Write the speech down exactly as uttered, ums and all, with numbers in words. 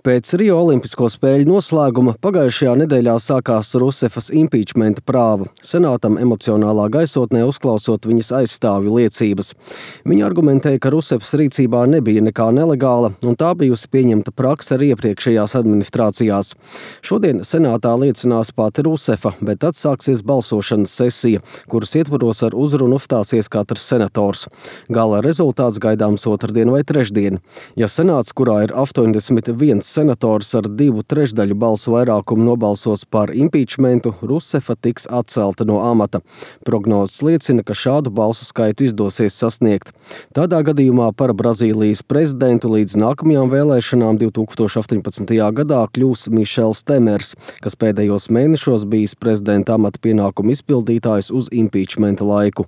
Pēc Rio Olimpisko spēļu noslēguma pagājušajā nedēļā sākās Rusefas impeachmenta prāva, senātam emocionālā gaisotnē uzklausot viņas aizstāvju liecības. Viņa argumentēja, ka Rusefas rīcībā nebija nekā nelegāla, un tā bijusi pieņemta prakse arī iepriekšējās administrācijās. Šodien senātā liecinās pati Rusefa, bet tad sāksies balsošanas sesija, kuras ietvaros ar uzrunu uzstāsies katrs senators. Gala rezultāts gaidāms otrdien vai trešdien. Ja senāts, kurā ir astoņdesmit viens senators ar divu trešdaļu balsu vairākumu nobalsos par impeachmentu, Rusefa tiks atcelta no amata. Prognozes liecina, ka šādu balsu skaitu izdosies sasniegt. Tādā gadījumā par Brazīlijas prezidentu līdz nākamajām vēlēšanām divi tūkstoši astoņpadsmitajā gadā kļūs Mišels Temers, kas pēdējos mēnešos bijis prezidenta amata pienākumu izpildītājs uz impeachmenta laiku.